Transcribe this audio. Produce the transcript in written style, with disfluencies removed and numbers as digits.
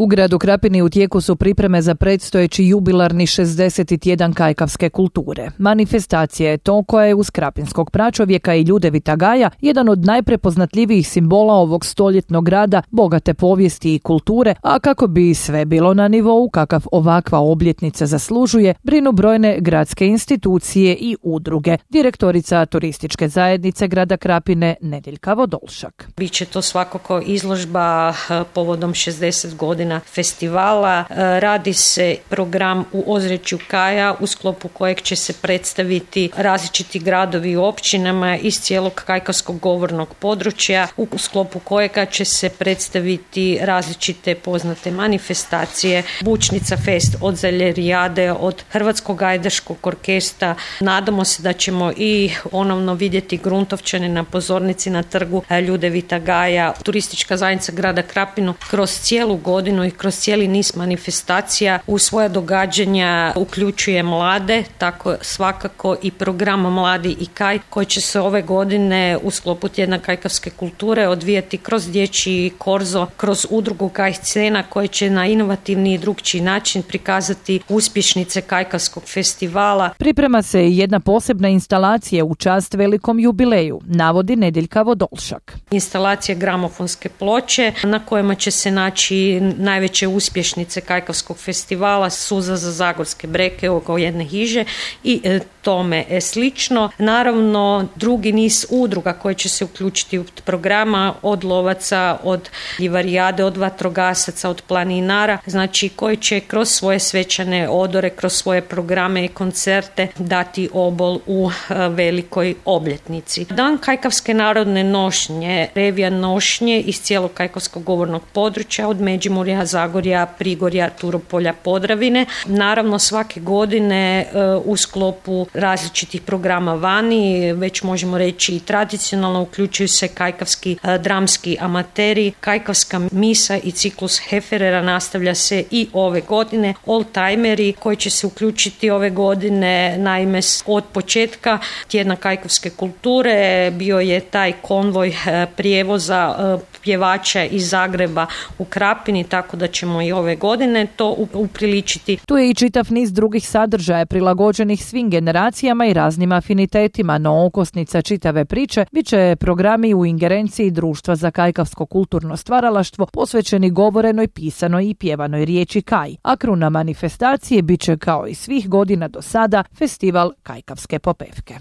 U gradu Krapini u tijeku su pripreme za predstojeći jubilarni 60. tjedan kajkavske kulture. Manifestacija je to koja je uz krapinskog pračovjeka i Ljudevita Gaja jedan od najprepoznatljivijih simbola ovog stoljetnog grada, bogate povijesti i kulture, a kako bi sve bilo na nivou kakav ovakva obljetnica zaslužuje, brinu brojne gradske institucije i udruge. Direktorica turističke zajednice grada Krapine Nedeljka Vodolšak. Biće to svakako izložba povodom 60 godina festivala. Radi se program u ozračju Kaja u sklopu kojeg će se predstaviti različiti gradovi i općinama iz cijelog kajkavskog govornog područja, u sklopu kojega će se predstaviti različite poznate manifestacije, Bučnica fest od Zaljerijade, od Hrvatskog ajdaškog orkestra. Nadamo se da ćemo i ponovno vidjeti Gruntovčane na pozornici na trgu Ljudevita Gaja. Turistička zajednica grada Krapinu kroz cijelu godinu i kroz cijeli niz manifestacija u svoja događanja uključuje mlade, tako svakako i program Mladi i Kaj koji će se ove godine u sklopu tjedna kajkavske kulture odvijati kroz dječji korzo, kroz udrugu Kaj scena koji će na inovativni i drukčiji način prikazati uspješnice kajkavskog festivala. Priprema se i jedna posebna instalacija u čast velikom jubileju, navodi Nedeljka Vodolšak. Instalacija gramofonske ploče na kojima će se naći najveće uspješnice kajkavskog festivala, Suza za zagorske breke oko jedne hiže i tome slično. Naravno, drugi niz udruga koje će se uključiti u programa, od lovaca, od ljivarijade, od vatrogasaca, od planinara, znači koji će kroz svoje svečane odore, kroz svoje programe i koncerte dati obol u velikoj obljetnici. Dan kajkavske narodne nošnje, revija nošnje iz cijelog kajkavskog govornog područja, od Međimurja, Zagorja, Prigorja, Turopolja, Podravine. Naravno, svake godine u sklopu različitih programa vani, već možemo reći i tradicionalno, uključuju se kajkavski dramski amateri, kajkavska misa i ciklus Heferera nastavlja se i ove godine. Oldtimeri koji će se uključiti ove godine, naime od početka tjedna kajkavske kulture bio je taj konvoj prijevoza pjevača iz Zagreba u Krapini, tako da ćemo i ove godine to upriličiti. Tu je i čitav niz drugih sadržaja prilagođenih svim generacijama i raznim afinitetima, no okosnica čitave priče bit će programi u ingerenciji Društva za kajkavsko kulturno stvaralaštvo posvećeni govorenoj, pisanoj i pjevanoj riječi Kaj, a kruna manifestacije bit će kao i svih godina do sada festival kajkavske popevke.